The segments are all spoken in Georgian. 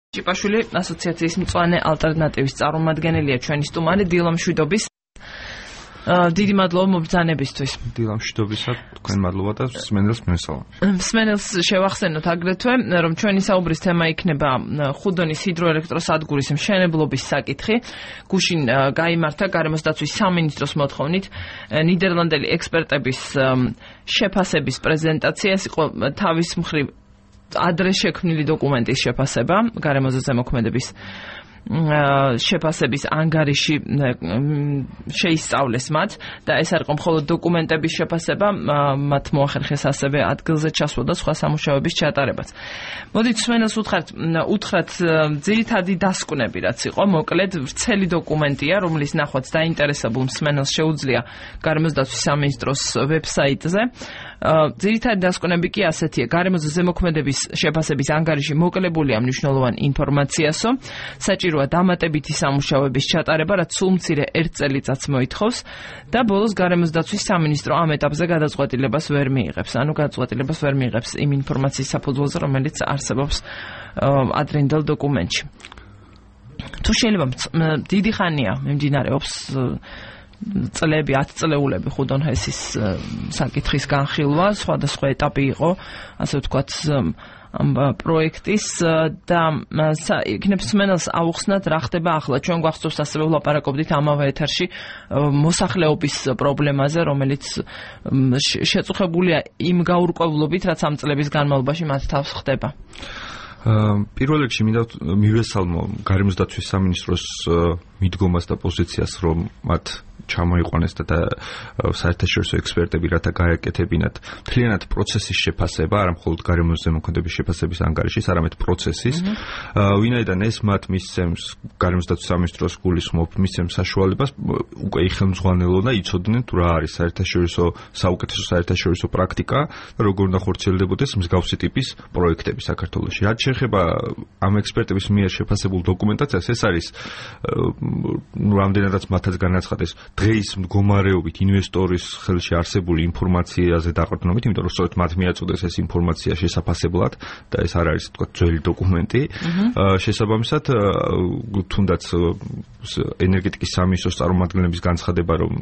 ჭიპაშვილი ასოციაციის მწვანე ალტერნატივის წარმომადგენელია ჩვენი სტუმარი დილა მშვიდობის. დიდი მადლობა მობრძანებისთვის. დილა მშვიდობისა, თქვენ მადლობა და მსმენელს მესალმებით. მსმენელს შევახსენოთ აგრეთვე, რომ ჩვენი საუბრის თემა იქნება ხუდონის ჰიდროელექტროსადგურის მშენებლობის საკითხი. გუშინ გაიმართა გარემოს დაცვის სამინისტროს მოთხოვნით ნიდერლანდელი ექსპერტების შეფასების პრეზენტაცია. ეს იყო თავის მხრივ ადრე შექმნილი დოკუმენტის შეფასება, გარემოზე ზემოქმედების შეფასების ანგარიში შეისწავლეს მათ და ეს არ იყო მხოლოდ დოკუმენტების შეფასება, მათ მოახერხეს ასევე ადგილზე ჩასვლა და სხვა სამუშაოების ჩატარებაც. მოდით მსმენელს უთხრათ ძირითადი დასკვნები, რაც იყო, მოკლედ ვრცელი დოკუმენტია, რომლის ნახვაც დაინტერესებულ მსმენელს შეუძლია გარემოს დაცვის სამინისტროს ვებსაიტზე. ძირითადი დასკვნები კი ასეთია: გარემოზე ზემოქმედების შეფასების ანგარიში მოკლებულია მნიშვნელოვანი ინფორმაციასო, საჭიროა დამატებითი სამუშაოების ჩატარება, რაც სულ მცირე 1 წელიწადს მოითხოვს და ბოლოს გარემოს დაცვის სამინისტრო ამ ეტაპზე გადაწყვეტილებას ვერ მიიღებს. ანუ გადაწყვეტილებას ვერ მიიღებს იმ ინფორმაციის საფუძველზე, რომელიც არსებობს ადრინდელ დოკუმენტში. თუ შეიძლება დიდი ხანია მიმდინარეობს წლები, 10 წლეულები ხუდონ-ჰესის საკითხის განხილვა, სხვადასხვა ეტაპი იყო, ასე ვთქვათ, ამ პროექტის და იქნებ მსმენელს აუხსნათ რა ხდება ახლა. ჩვენ გვახსოვს ასევე ვლაპარაკობდით ამავე ეთერში მოსახლეობის პრობლემაზე, რომელიც შეწუხებულია იმ გაურკვევლობით, რაც ამ წლების განმავლობაში მათ თავს ხდება. პირველ რიგში მინდა მივესალმო გარემოს დაცვის სამინისტროს მიდგომას და პოზიციას, რომ მათ ჩამოიყვანეს და საერთაშორისო ექსპერტები რათა გაეკეთებინათ მთლიანად პროცესის შეფასება, არა მხოლოდ გარემოს ზემოქმედების შეფასების ანგარიშის, არამედ პროცესის. ვინაიდან ეს მათ მისცემს გარემოს დაცვის სამინისტროს გულისხმობ, მისცემს საშუალებას უკვე იხელმძღვანელონ და იცოდნენ თუ რა არის საუკეთესო საერთაშორისო პრაქტიკა და როგორ უნდა ხორციელდებოდეს მსგავსი ტიპის პროექტები საქართველოში. რაც შეეხება ამ ექსპერტების მიერ შეფასებულ დოკუმენტაციას, ეს არის რამდენადაც მათაც განაცხადეს დღეის მდგომარეობით ინვესტორის ხელში არსებული ინფორმაციაზე დაყრდნობით, იმიტომ რომ სწორედ მათ მიაწოდეს ეს ინფორმაცია შესაფასებლად და ეს არ არის თქვა ძველი დოკუმენტი. შესაბამისად, თუნდაც ენერგეტიკის სამინისტროს წარმომადგენლების განცხადება, რომ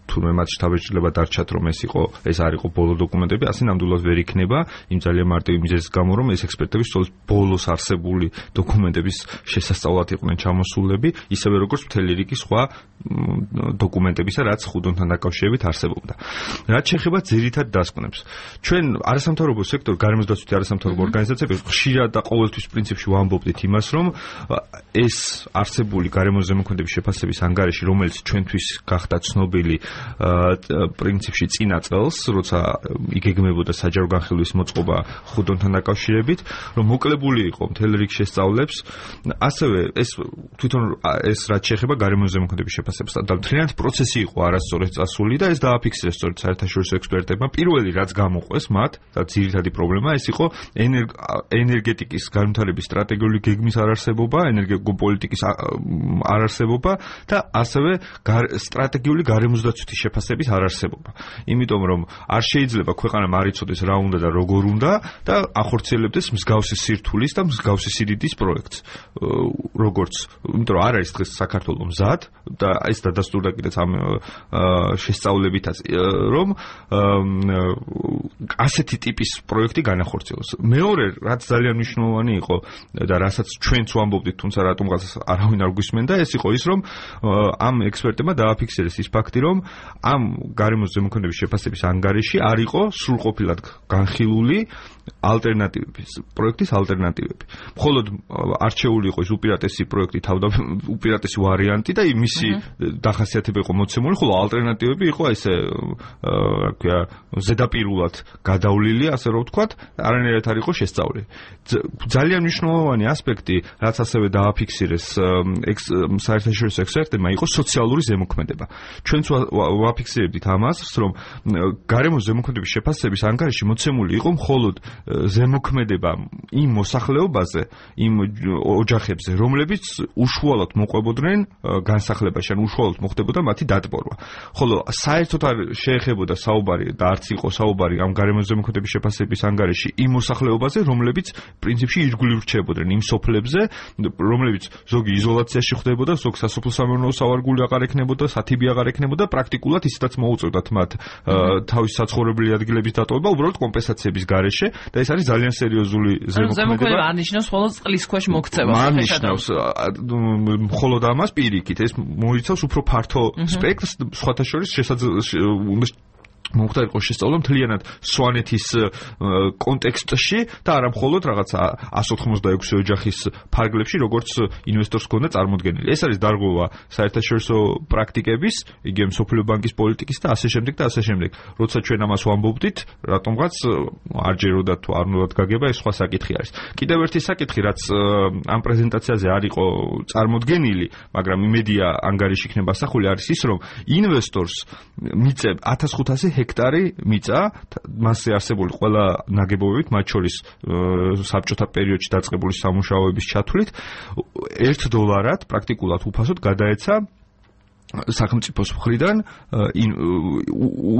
თურმე მათ შთაბეჭდილება დარჩათ, რომ ეს არ იყო ბოლო დოკუმენტები, ასე ნამდვილად ვერ იქნება, იმ ძალიან მარტივი მიზეზის გამო, რომ ეს ექსპერტები სწორედ ბოლოს არსებული დოკუმენტების შესასწავლად იყვნენ ჩამოსულები, ისევე როგორც მთელი რიგი სხვა დოკუმენტებისა, რაც ხუდონთან დაკავშირებით არსებობდა. რაც შეეხება ძირითად დასკვნებს, ჩვენ არასამთავრობო სექტორი, გარემოს დაცვითი არასამთავრობო ორგანიზაციები ხშირად და ყოველთვის პრინციპში ვამბობდით იმას, რომ ეს არსებული გარემოს ზემოქმედების შეფასების ანგარიში, რომელიც ჩვენთვის გახდა ცნობილი პრინციპში წინა წელს, როცა იგეგმებოდა საჯარო განხილვის მოწყობა ხუდონთან დაკავშირებით, რომ მოკლებული იყო მთელ რიგ შესწავლებს, ასევე ეს თვითონ ეს რაც შეეხება გარემოს ზემოქმედების შეფასებას და მთლიანად პროცესი იყო არასწორად წასული და ეს დააფიქსირეს სწორედ საერთაშორისო ექსპერტებმა. პირველი რაც გამოყვეს მათ და ძირითადი პრობლემა ეს იყო ენერგეტიკის განვითარების სტრატეგიული გეგმის არარსებობა, ენერგოპოლიტიკის არარსებობა და ასევე სტრატეგიული გარემოს დაცვითი შეფასების არარსებობა. იმიტომ რომ არ შეიძლება ქვეყანამ არ იცოდეს რა უნდა და როგორ უნდა და ახორციელებდეს მსგავსი სირთულის და მსგავსი სიდიდის პროექტს. როგორც, იმიტომ რომ არ არის დღეს საქართველოს მზად და ეს დადასტურდა კიდეც ამ შესწავლებითაც, რომ ასეთი ტიპის პროექტი განახორციელოს. მეორე, რაც ძალიან მნიშვნელოვანი იყო და რასაც ჩვენც ვამბობდით, თუმცა რატომღაც არავინ არ გვისმენდა, ეს იყო ის, რომ ამ ექსპერტებმა დააფიქსირეს ის ფაქტი, რომ ამ გარემოს ზემოქმედების შეფასების ანგარიში არ იყო სრულყოფილად განხილული პროექტის ალტერნატივები. მხოლოდ არჩეული იყო ის უპირატესი პროექტი, უპირატესი ვარიანტი და მისი დახასიათება იყო მოცემული, ხოლო ალტერნატივები იყო ესე ზედაპირულად გადავლილი, ასე რომ ვთქვათ, არანაირად არ იყო შესწავლილი. ძალიან მნიშვნელოვანი ასპექტი, რაც ასევე დააფიქსირეს საერთაშორისო ექსპერტებმა, იყო სოციალური ზემოქმედება. ჩვენც ვაფიქსირებდით ამას, რომ გარემოს ზემოქმედების შეფასების ანგარიში მოცემული იყო მხოლოდ ზემოქმედება იმ მოსახლეობაზე, იმ ოჯახებზე, რომლებიც უშუალოდ მოყვებოდნენ განსახლებაში, ან უშუალოდ მოხდებოდა მათი დატბორვა. ხოლო საერთოდ არ შეეხებოდა საუბარი და არც იყო საუბარი ამ გარემოს ზემოქმედების შეფასების ანგარიში იმ მოსახლეობაზე, რომლებიც პრინციპში ირგვლივ რჩებოდნენ იმ სოფლებზე, რომლებიც ზოგი იზოლაციაში ხდებოდა, ზოგი სასოფლო-სამეურნეო სავარგული აღარ ექნებოდა, სათიბი აღარ ექნებოდა, პრაქტიკულად ისედაც მოუწევდათ მათ თავის საცხოვრებელი ადგილების დატოვება, უბრალოდ კომპენსაციების გარეშე და ეს არის ძალიან სერიოზული ზემოქმედება. არ ნიშნავს მხოლოდ წყლის ქვეშ მოქცევას. არ ნიშნავს მხოლოდ ამას პირიქით, ეს მოიცავს უფრო ფართო სპექტრს, სხვათა შორის მომხდარ იყო შესწავლა მთლიანად სვანეთის კონტექსტში და არა მხოლოდ რაღაცა 186 ოჯახის ფარგლებში, როგორც ინვესტორს ჰქონდა წარმოდგენილი. ეს არის დარღვევა საერთაშორისო პრაქტიკების, იგი მსოფლიო ბანკის პოლიტიკის და ასე შემდეგ და ასე შემდეგ. როცა ჩვენ ამას ვამბობდით, რატომღაც არ ჯეროდა თუ არ უნდა გაგება, ეს სხვა საკითხი არის. კიდევ ერთი საკითხი, რაც ამ პრეზენტაციაზე არ იყო წარმოდგენილი, მაგრამ იმედია ანგარიში იქნება ასახული, არის ის, რომ ინვესტორს მიწებ 1500 ჰექტარი მიწა მასზე არსებული ყველა ნაგებობებით, მათ შორის საბჭოთა პერიოდში დაწყებული სამუშაოების ჩათვლით $1 პრაქტიკულად უფასოდ გადაეცა სახელმწიფოს მხრიდან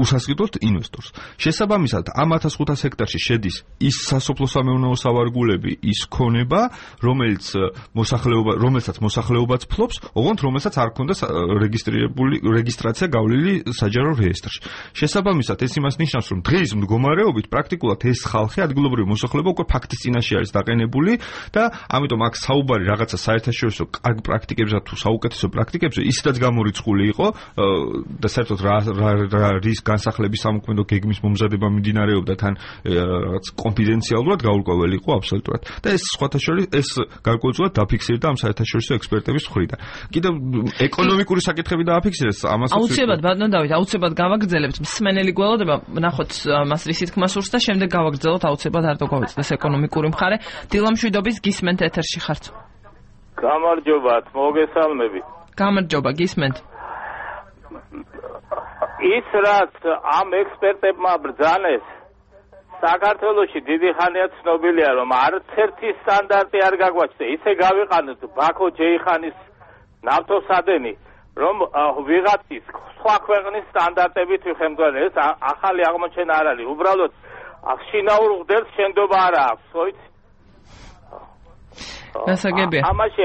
უსასყიდლოდ ინვესტორს. შესაბამისად, ამ 1500 ჰექტარში შედის ის სასოფლო-სამეურნეო სავარგულები, ის ქონება, რომელსაც მოსახლეობაც ფლობს, ოღონდ რომელსაც არ ქონდა რეგისტრაცია გავლილი საჯარო რეესტრში. შესაბამისად, ეს იმას ნიშნავს, რომ დღის მდგომარეობით პრაქტიკულად ეს ხალხი, ადგილობრივი მოსახლეობა უკვე ფაქტის წინაშე არის დაყენებული და ამიტომ აქ საუბარი რაღაცა საერთაშორისო კარგ პრაქტიკებზე თუ საუკეთესო პრაქტიკებზე ისედაც გამორიცხული იყო და საერთოდ რის განსახლების სამოქმედო გეგმის მომზადება მიმდინარეობდა თან რაღაც კონფიდენციალურად გაურკვეველი იყო აბსოლუტურად და ეს სხვათა შორის ეს გარკვეულწილად დაფიქსირდა ამ საერთაშორისო ექსპერტების მხრიდან. კიდევ ეკონომიკური საკითხები დააფიქსირეს ამას. აუცილებლად ბატონო დავით, აუცილებლად გავაგრძელებთ მსმენელი გველოდება, ნახოთ მას რისი თქმა სურს და შემდეგ გავაგრძელოთ აუცილებლად არ დაგავიწყდეს ეკონომიკური მხარე. დილამშვიდობის გისმენთ ეთერში ხართ. გამარჯობათ, მოგესალმებით. გამარჯობა, გისმენთ. ის რაც ამ ექსპერტებმა ბრძანეს საქართველოში დიდი ხანია ცნობილია, რომ არც ერთი სტანდარტი არ გაგვაჩნდა. ისე გავიყანოთ ბაქო ჯეიხანის ნავთობსადენი, რომ ვიღაცის სხვა ქვეყნის სტანდარტებით ვიხემძვანე. ეს ახალი აღმოჩენა არ არის. უბრალოდ შინაურ ღდელს შენდობა არ აქვს, ხოიც? გასაგებია. ამაში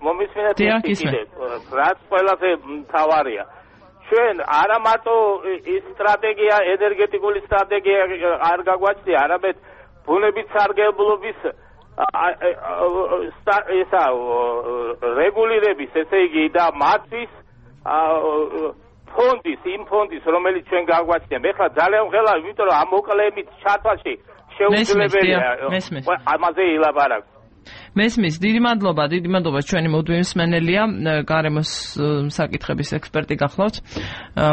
მომისმინეთ კიდე, რაც ყველაზე მთავარია. ჩვენ არა მარტო ის სტრატეგია, ენერგეტიკული სტრატეგია არ გაგვაჩნია, არამედ ბუნების სარგებლობის რეგულირების, ესე იგი და მათთვის იმ ფონდის, რომელიც ჩვენ გაგვაჩნია. მე ხლა ძალიან ვღელა, იმიტომ რომ ამ მოკლეებით ჩათვალში შეუძლებელია ამაზე ილაპარაკო. მესმის, დიდი მადლობა, ჩვენი მოდვილი მსმენელია, გარემოს საკითხების ექსპერტი გახლავთ.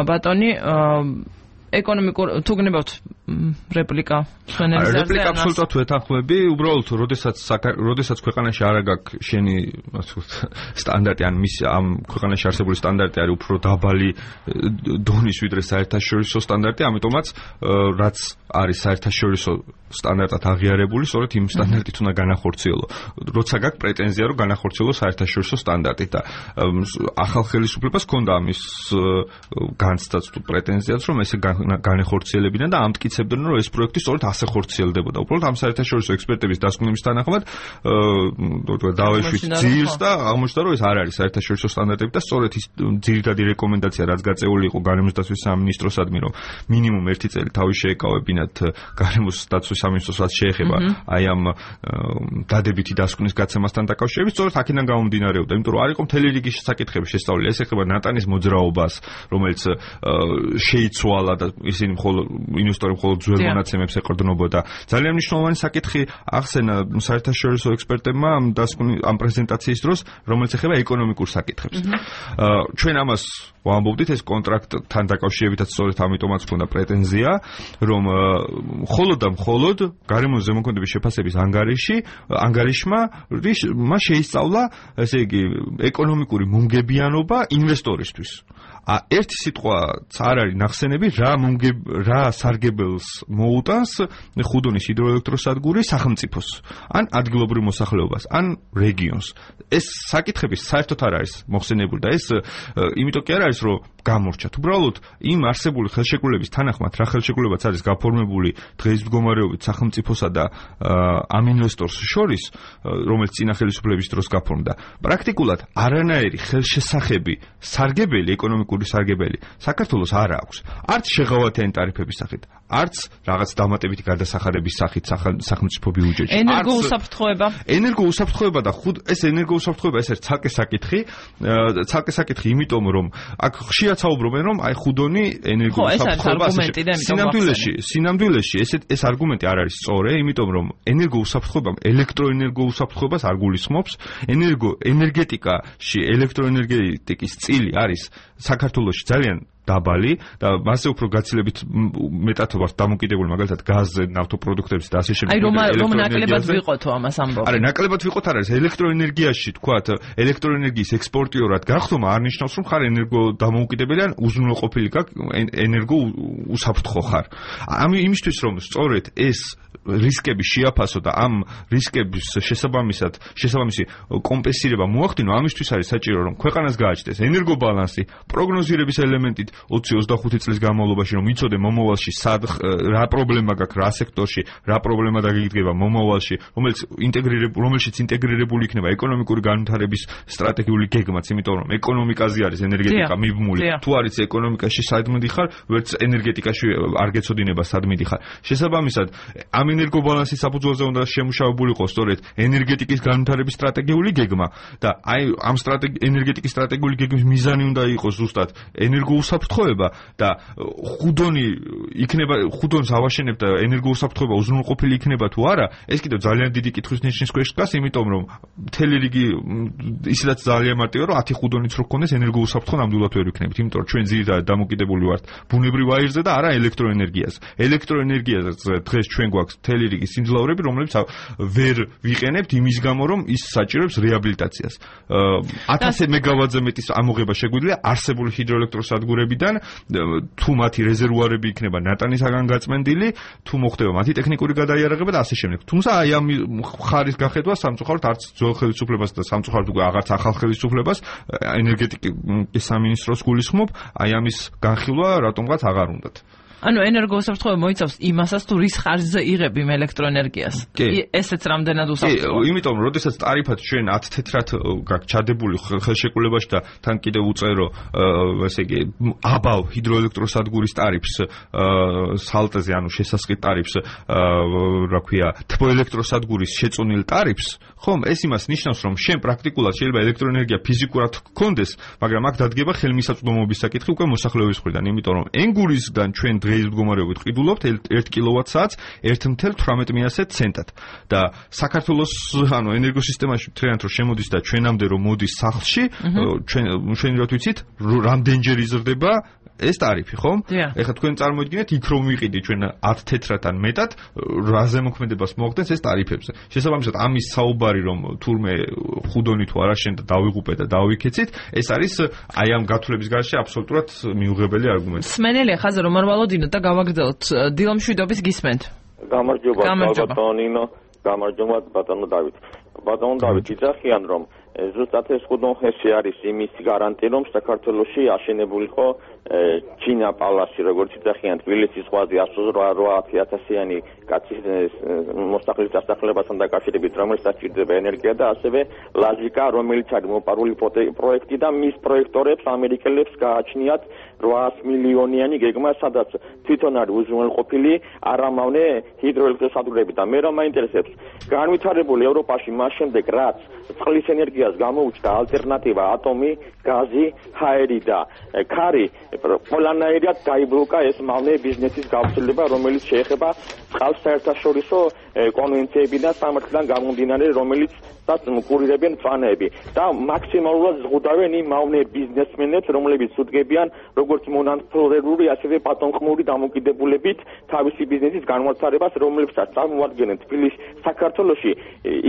ბატონი, ეკონომიკურ თუ გნებავთ რეპლიკა მსმენელის ზარზე? რეპლიკა აბსოლუტურად ვეთანხმები, უბრალოდ როდესაც ქვეყანაში არ აქვს შენი სტანდარტი, ან ამ ქვეყანაში არსებული სტანდარტი არის უფრო დაბალი დონის ვიდრე საერთაშორისო სტანდარტი, ამიტომაც რაც არის საერთაშორისო სტანდარტად აღიარებული, სწორედ იმ სტანდარტით უნდა განახორციელო. როცა გაქვს პრეტენზია, რომ განახორციელო საერთაშორისო სტანდარტით და ახალ ხელისუფლებას ჰქონდა ამის განცდაც თუ პრეტენზიაც, რომ ესე განეხორციელებინა და ამტკიცებდნენ, რომ ეს პროექტი სწორედ ასე ხორციელდებოდა. უბრალოდ ამ საერთაშორისო ექსპერტების დასკვნების თანახმად დავეშვით ძირს და აღმოჩნდა, რომ ეს არ არის საერთაშორისო სტანდარტები და სწორედ ის ძირითადი რეკომენდაცია, რაც გაწეული იყო გარემოს დაცვის სამინისტროსადმი, რომ მინიმუმ 1 წელი თავი შეეკავებინათ გარემოს დაცვის სამინისტროს, რაც შეეხება აი ამ დადებითი დასკვნის გაცემასთან დაკავშირებით, სწორედ აქედან გამომდინარეობდა, იმიტომ რომ არ იყო მთელი რიგი საკითხები შესწავლილი. ეს ეხება ნატანის მოძრაობას, რომელიც შეიცვალა და ისინი ინვესტორები მხოლოდ ძველ მონაცემებს ეყრდნობოდა. ძალიან მნიშვნელოვანი საკითხი ახსენა საერთაშორისო ექსპერტებმა ამ პრეზენტაციის დროს, რომელიც ეხება ეკონომიკურ საკითხებს. ჩვენ ამას ვამბობდით, ეს კონტრაქტთან დაკავშირებითაც სწორედ ამიტომაც ქონდა პრეტენზია, რომ მხოლოდ და მხოლოდ გარემოს ზემოქმედების შეფასების ანგარიშმა შეისწავლა, ესე იგი, ეკონომიკური მომგებიანობა ინვესტორისთვის. ერთი სიტყვაც არ არის ნახსენები, რა სარგებელს მოუტანს ხუდონის ჰიდროელექტროსადგური სახელმწიფოს, ან ადგილობრივ მოსახლეობას, ან რეგიონს. ეს საკითხები საერთოდ არ არის მოხსენებული და ეს იმიტომ კი არ არის, რომ გამორჩათ. უბრალოდ იმ არსებული ხელშეკრულების თანახმად, რა ხელშეკრულებაც არის გაფორმებული დღეის მდგომარეობით სახელმწიფოსა და ამ ინვესტორს შორის, რომელიც წინა ხელისუფლების დროს გაფორმდა, პრაქტიკულად არანაირი ხელშესახები, სარგებელი, ეკონომიკური სარგებელი საქართველოს არ აქვს. არც შეღავათიანი ტარიფების სახით, არც რაღაც დამატებითი გადასახადების სახით სახელმწიფო ბიუჯეტში. ენერგოუსაფრთხოება და ეს ენერგოუსაფრთხოება ეს არის ცალკე საკითხი, იმიტომ რომ აქ ხშირად საუბრობენ, რომ აი ხუდონი ენერგოუსაფრთხოება სინამდვილეში ეს არგუმენტი არ არის სწორი, იმიტომ რომ ენერგოუსაფრთხოება ელექტროენერგოუსაფრთხოებას არ გულისხმობს. ენერგეტიკაში ელექტროენერგეტიკის წილი არის საქართველოში ძალიან დაბალი და მასე უფრო გაცილებით მეტად ვართ დამოკიდებული მაგალითად გაზზე, ნავთობპროდუქტებზე და ასე შემდეგ. აი რომ ნაკლებად ვიყოთო ამას ამბობ. არა, ნაკლებად ვიყოთ არ არის. ელექტროენერგიაში თქვათ, ელექტროენერგიის ექსპორტიორად გახდომა არ ნიშნავს, რომ ხარ ენერგოდამოუკიდებელი ან უზრუნველყოფილი ენერგოუსაფრთხო ხარ. იმისთვის რომ სწორედ ეს რისკები შეაფასო და ამ რისკების შესაბამისი კომპენსირება მოახდინო, ამისთვის არის საჭირო, რომ ქვეყანას გააჩნდეს ენერგობალანსი, პროგნოზირების ელემენტით 20-25 წლის განმავლობაში, რომ იცოდე მომავალში რა პრობლემა გაქვს რა სექტორში, რა პრობლემა დაგიგდება მომავალში, რომელშიც ინტეგრირებული იქნება ეკონომიკური განვითარების სტრატეგიული გეგმაც, იმიტომ რომ ეკონომიკაზე არის ენერგეტიკა მიბმული. თუ არის ეკონომიკაში სად მიდიხარ, ვერც ენერგეტიკაში არ გეცოდინება სად მიდიხარ. შესაბამისად, ამ ენერგობალანსის საფუძველზე უნდა შემუშავებული იყოს სწორედ ენერგეტიკის განვითარების სტრატეგიული გეგმა და აი ამ ენერგეტიკის სტრატეგიული გეგმის მიზანი უნდა იყოს ზუსტად ენერგოუსაფრთხოება და ხუდონს ავაშენებ და ენერგოუსაფრთხოება უზრუნველყოფილი იქნება თუ არა, ეს კიდევ ძალიან დიდი კითხვის ნიშნის ქვეშ დგას, იმიტომ რომ მთელი რიგი ისედაც ძალიან მარტივია, რომ 10 ხუდონიც რო გქონდეს ენერგოუსაფრთხო ნამდვილად ვერ ვიქნებით, იმიტომ რომ ჩვენ ძირითადად დამოკიდებული ვართ ბუნებრივ აირზე და არა ელექტროენერგიაზე. ელექტროენერგიაზე დღეს ჩვენ გვაქვს მთელი რიგი სიმძლავრები, რომლებიც ვერ ვიყენებთ იმის გამო, რომ ის საჭიროებს რეაბილიტაციას. 1000 მეგავატზე მეტის ამოღება შეგვიძლია არსებული ჰიდროელექტროსადგურებიდან, თუ მათი რეზერვუარები იქნება ნატანისაგან გაწმენდილი, თუ მოხდება მათი ტექნიკური გადაიარაღება და ასე შემდეგ. თუმცა აი ამ ხარის გახედვა სამწუხაროდ არც ძველ ხელისუფლებას და სამწუხაროდ უკვე აღარც ახალ ხელისუფლებას ენერგეტიკის სამინისტროს გულისხმობ, აი ამის განხილვა რატომღაც აღარ უნდათ. ანუ ენერგოუსაფრთხოება მოიცავს იმასაც, თუ რის ხარჯზე იღებ იმ ელექტროენერგიას. ესეც რამდენად უსაფრთხოა. იმიტომ რომ როდესაც ტარიფად ჩვენ 10 თეთრად გაქვს ჩადებული ხელშეკრულებაში და თან კიდევ უწერო, ესე იგი, აბავ ჰიდროელექტროსადგურის ტარიფს სალტეზე, ანუ შესასყიდ ტარიფს, რა ქვია, თბოელექტროსადგურის შეწონილ ტარიფს, ხომ, ეს იმას ნიშნავს, რომ შენ პრაქტიკულად შეიძლება ელექტროენერგია ფიზიკურად გქონდეს, მაგრამ აქ დადგება ხელმისაწვდომობის საკითხი უკვე მოსახლეობის მხრიდან, იმიტომ რომ ენგურისგან ჩვენ დღეის მდგომარეობით ყიდულობთ 1 კილოვატ-საათს 1.18 ცენტად და საქართველოს ანუ ენერგოსისტემაში მთლიანად რომ შემოდის და ჩვენამდე რომ მოდის სახლში, ჩვენ რა ვიცით, რამდენჯერ იზრდება ეს ტარიფი, ხომ? ეხლა თქვენ წარმოიდგინეთ, იქ რომ ვიყიდით ჩვენ 10 თეთრად ან მეტად, რა ზემოქმედებას მოახდენს ეს ტარიფებზე. შესაბამისად, ამის საუბარი რომ თურმე ხუდონი თუ არა შენ და დავიღუპე და დავიქეცით, ეს არის აი ამ გათვლების გარშე აბსოლუტურად მიუღებელი არგუმენტი. სმენელია ხაზი რომ არ ვალოდინოთ და გავაგრძელოთ. დილომშვიდობის გისმენთ. გამარჯობა, ბატონინო, გამარჯობა ბატონო დავით. ბატონო დავით, იძახიან რომ ზუსტად ეს ხუდონხეში არის იმის გარანტია, რომ საქართველოში აშენებული ხო ჩინა პალასი, როგორც იძახიან, თბილისის ზღვაზე 108,000-იანი კაცის მოსახლის დასახლებასთან დაკავშირებით, რომელიც საჭიროდება ენერგია და ასევე ლაჟიკა, რომელიც არის მოპარული პროექტი და მის პროექტორებს ამერიკელებს გააჩნიათ 800 მილიონიანი გეგმა, სადაც თვითონ არის უზრუნველყოფილი არამავნე ჰიდროელექტროსადგურები და მე რომ მაინტერესებს, განვითარებული ევროპაში მას შემდეგ, რაც წყლის ენერგიას გამოუჩნდა ალტერნატივა ატომი, გაზი, ჰაერი და ქარი, ყველანაირად დაიბლოკა ეს მავნე ბიზნესის გავრცელება, რომელიც შეეხება ყავს საერთაშორისო კონვენციები და სამართლიდან გამომდინარე, რომელიც კურირებიან მწვანეები და მაქსიმალურად ზღუდავენ იმ მავნე ბიზნესმენებს, რომლებიც უდგებიან როგორც მონანცრალური, ასევე პატონყმური დამოკიდებულებით თავისი ბიზნესის განვითარებას, რომლებსაც წარმოადგენენ თბილისში, საქართველოში,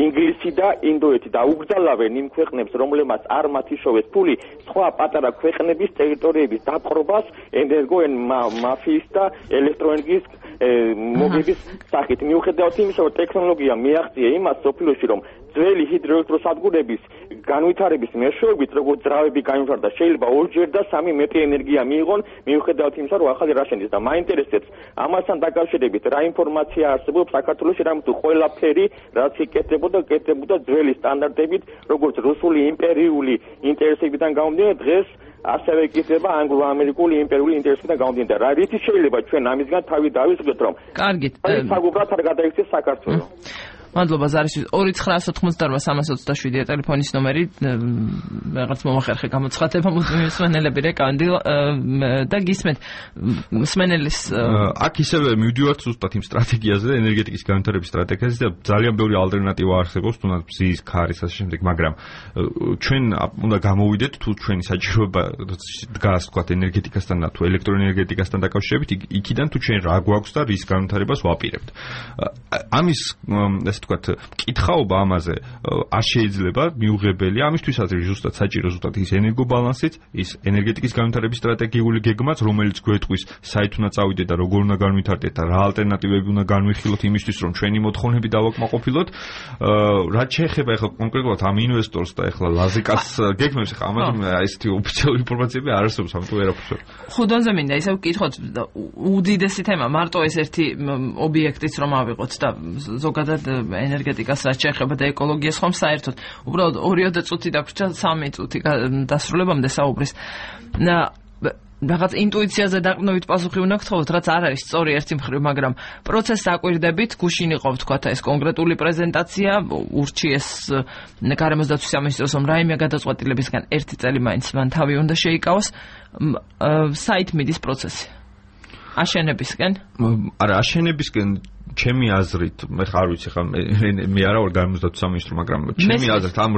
ინგლისი და ინდოეთი და უგრძალავენ იმ ქვეყნებს, რომლებმაც არ მათ იშოვეს ფული, სხვა პატარა ქვეყნების ტერიტორიების დაპყრობას ენერგომაფიის და ელექტროენერგიის მოგების სახით. მიუხედავად იმისა, რომ ტექნოლოგია მიაღწია იმას სოფლიოში, რომ ძველი ჰიდროელექტროსადგურების განვითარების მეშვეობით, როგორც ძრავები განვითარდა, შეიძლება 2-ჯერ და 3 მეტი ენერგია მიიღონ, მიუხედავად იმისა, რომ ახალი რა შენდის და მაინტერესებს ამასთან დაკავშირებით რა ინფორმაცია არსებობს საქართველოში, რამეთუ ყველაფერი რაც იკეთებოდა ძველი სტანდარტებით, როგორც რუსული იმპერიული ინტერესებიდან გამომდინარე, დღეს ასევე იკეთება ანგლო-ამერიკული იმპერიული ინტერესებიდან გამომდინარე. რა რითი შეიძლება ჩვენ ამისგან თავი დავისხოთ, რომ კარგით, საგუბრად არ გადაიქცეს საქართველო. მადლობა ზარისთვის 2988-327 ტელეფონის ნომერი რაღაც მომახერხე გამოცხადება მსმენელები რეკანდილ და გისმენთ მსმენელის აქ ისევე მივდივართ ზუსტად იმ სტრატეგიაზე ენერგეტიკის განვითარების სტრატეგიაზე და ძალიან ბევრი ალტერნატივა არსებობს თუნდაც ბზის ქარის ასე შემდეგ მაგრამ ჩვენ უნდა გამოვიდეთ თუ ჩვენი საჭიროება დგას თქვა ენერგეტიკასთან თუ ელექტროენერგეტიკასთან დაკავშირებით იქიდან თუ ჩვენ რა გვაქვს და რის განვითარებას ვაპირებთ ამის თქვათ კითხაობა ამაზე არ შეიძლება მიუღებელია ამისთვისაც ზუსტად საჭირო ზუსტად ის ენერგობალანსიც ის ენერგეტიკის განვითარების სტრატეგიული გეგმაც რომელიც გვეტყვის საით უნდა წავიდეთ და როგორ უნდა განვითარდეთ და რა ალტერნატივები უნდა განვიხილოთ იმისთვის რომ ჩვენი მოთხოვნები დავაკმაყოფილოთ რაც შეეხება ახლა კონკრეტულად ამ ინვესტორს და ახლა ლაზიკას გეგმებს ახლა ამაზე ესეთი ოფიციალური ინფორმაციები არ არსებობს ამიტომ ვერაფერს ხუდონზე მინდა ისევ ვკითხოთ უდიდესი თემა მარტო ეს ერთი ობიექტიც რომ ავიღოთ და ზოგადად ენერგეტიკას რაც შეეხება და ეკოლოგიას ხომ საერთოდ უბრალოდ 2 წუთი დაგვრჩა 3 წუთი დასრულებამდე საუბრის რაღაც ინტუიციაზე დაყრდნობით პასუხი უნდა გთხოვოთ რაც არ არის სწორი ერთი მხრივ მაგრამ პროცესს აკვირდებით გუშინ იყო თქვათ ეს კონკრეტული პრეზენტაცია ურჩიეს გარემოს დაცვის სამინისტროს რომ რაიმე გადაწყვეტილებისგან 1 წელი მაინც მან თავი უნდა შეიკავოს საით მიდის პროცესი აშენებისკენ არა აშენებისკენ ჩემი აზრით მე ხარ ვიცი ხა მე არა ვარ გარემოს დაცვის სამინისტრო მაგრამ ჩემი აზრით ამ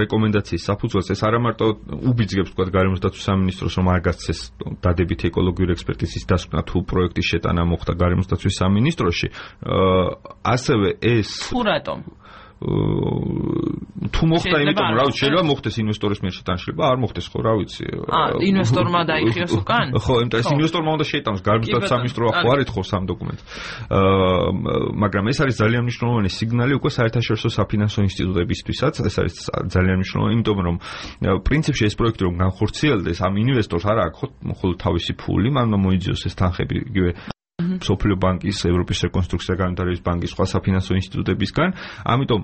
რეკომენდაციის საფუძველზე ეს არა მარტო უბიძგებს თქვა გარემოს დაცვის სამინისტროს რომ არ გასცეს დადებითი ეკოლოგიური ექსპერტიზის დასკვნა თუ პროექტის შეტანა მოხდა გარემოს დაცვის სამინისტროში ასევე ეს თუ რატომ თუ მოხდა იმიტომ რა ვიცი შეიძლება მოხდეს ინვესტორის მიერ შეტანა შეიძლება არ მოხდეს ხო რა ვიცი ინვესტორმა დაიხიოს უკან ხო იმიტომ ეს ინვესტორმა უნდა შეიტანოს გარემოს დაცვის სამინისტრო ხო არ ეთხოვს ამ დოკუმენტს მაგრამ ეს არის ძალიან მნიშვნელოვანი სიგნალი უკვე საერთაშორისო საფინანსო ინსტიტუტებისთვისაც ეს არის ძალიან მნიშვნელოვანი იმიტომ რომ პრინციპში ეს პროექტი რომ განხორციელდეს ამ ინვესტორს არ აქვს მხოლოდ თავისი ფული მან უნდა მოიძიოს ეს თანხები იგივე სოფლიო ბანკის, ევროპის რეკონსტრუქცია და განვითარების ბანკის სხვა საფინანსო ინსტიტუტებისგან, ამიტომ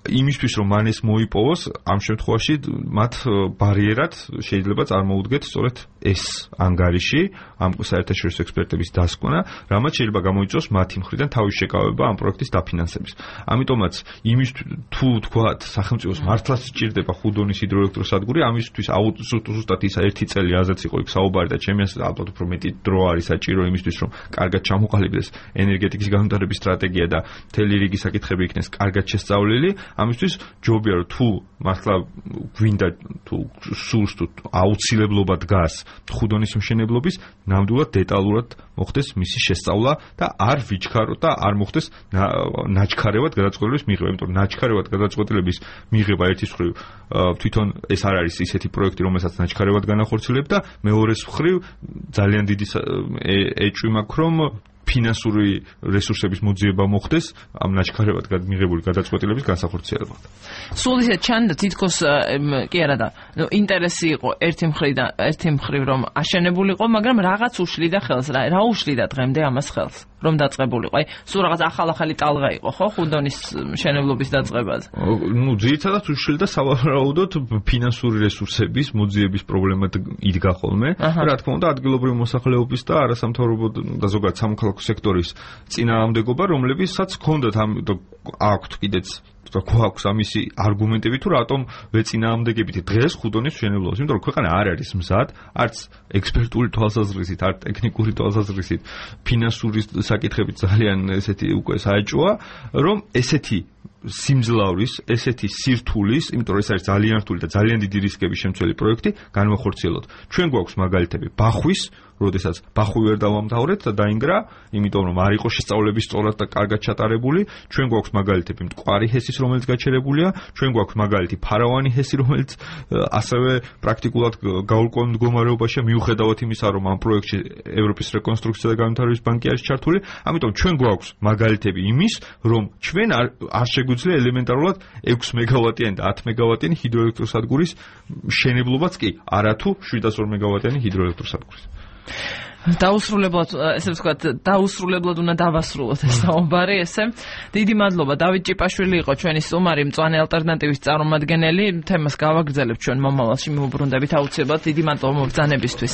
იმისთვის რომ მან ეს მოიპოვოს, ამ შემთხვევაში მათ ბარიერად შეიძლება წარმოუდგეთ სწორედ ეს ანგარიში, ამ საერთაშორისო ექსპერტების დასკვნა, რამაც შეიძლება გამოიწვიოს მათი მხრიდან თავის შეკავება ამ პროექტის დაფინანსების. ამიტომაც იმის თუ თქვათ სახელმწიფოს მართლაც სჭირდება ხუდონის ჰიდროელექტროსადგური, ამისთვის ზუსტად ის 1 წელი რაზეც იყო იქ საუბარი და ჩემი აზრით ალბათ უფრო მეტი დრო არის საჭირო იმისთვის რომ კარგად ჩამოყალიბდეს ენერგეტიკის განვითარების სტრატეგია და მთელი რიგი საკითხები იქნეს კარგად შესწავლილი. ამისთვის ჯობია რომ თუ მართლა გვინდა თუ სურს თუ აუცილებლობა დგას ხუდონის მშენებლობის ნამდვილად დეტალურად მოხდეს მისი შესწავლა და არ ვიჩქაროთ და არ მოხდეს ნაჩქარევად გადაწყვეტილების მიღება, იმიტომ რომ ნაჩქარევად გადაწყვეტილების მიღება ერთის მხრივ თვითონ ეს არ არის ისეთი პროექტი, რომელსაც ნაჩქარევად განახორციელებ და მეორეს მხრივ ძალიან დიდი ეჭვი მაქვს რომ ფინანსური რესურსების მოძიება მოხდეს ამ ნაჩქარევად მიღებული გადაწყვეტილების განსახორციელებად. სულ ისე ჩანდა თითქოს კი არა და ინტერესი იყო ერთი მხრივ რომ აშენებულიყო, მაგრამ რაღაც უშლიდა ხელს რა უშლიდა დღემდე ამას ხელს რომ დაწყებულიყო. აი, სულ რაღაც ახალი ტალღა იყო, ხო, ხუდონის მშენებლობის დაწყებაზე. ძირითადად უშლიდა სავარაუდოდ ფინანსური რესურსების მოძიების პრობლემა იდგა ხოლმე. რა თქმა უნდა, ადგილობრივი მოსახლეობის და არასამთავრობო და ზოგადად სამოქალაქო სექტორის წინააღმდეგობა, რომლებსაც ჰქონდათ აქვთ კიდეც თქვა, გვაქვს ამისი არგუმენტები თუ რატომ ვეწინააღმდეგებით დღეს ხუდონის მშენებლობას, იმიტომ რომ ქვეყანა არ არის მზად, არც ექსპერტული თვალსაზრისით, არც ტექნიკური თვალსაზრისით, ფინანსური საკითხებით ძალიან ესეთი უკვე საეჭვოა, რომ ესეთი სიმძლავრის, ესეთი სირთულის, იმიტომ რომ ეს არის ძალიან რთული და ძალიან დიდი რისკების შემცველი პროექტი, განვახორციელოთ. ჩვენ გვაქვს მაგალითები ბახვის, როდესაც ბახვი ვერ დავამთავრეთ და დაინგრა, იმიტომ რომ არ იყო შესწავლები სწორად და კარგად ჩატარებული. ჩვენ გვაქვს მაგალითები მტკვარი ჰესის, რომელიც გაჩერებულია, ჩვენ გვაქვს მაგალითი ფარავანი ჰესი, რომელიც ასევე პრაქტიკულად გაურკვეველ მდგომარეობაშია, მიუხედავად იმისა, რომ ამ პროექტში ევროპის რეკონსტრუქცია და განვითარების ბანკი არის ჩართული. ამიტომ ჩვენ გვაქვს მაგალითები იმის, რომ ჩვენ არ შეგვიძლია ელემენტარულად 6 მეგავატიანი და 10 მეგავატიანი ჰიდროელექტროსადგურის მშენებლობაც კი, არათუ 702 მეგავატიანი ჰიდროელექტროსადგურის. დაუსრულებლად, ესე ვთქვათ, დაუსრულებლად უნდა დავასრულოთ ეს საუბარი, ესე. დიდი მადლობა, დავით ჭიპაშვილი იყო ჩვენი სტუმარი, მწვანე ალტერნატივის წარმომადგენელი. თემას გავაგრძელებთ ჩვენ მომავალში, მივუბრუნდებით აუცილებლად. დიდი მადლობა მობრძანებისთვის.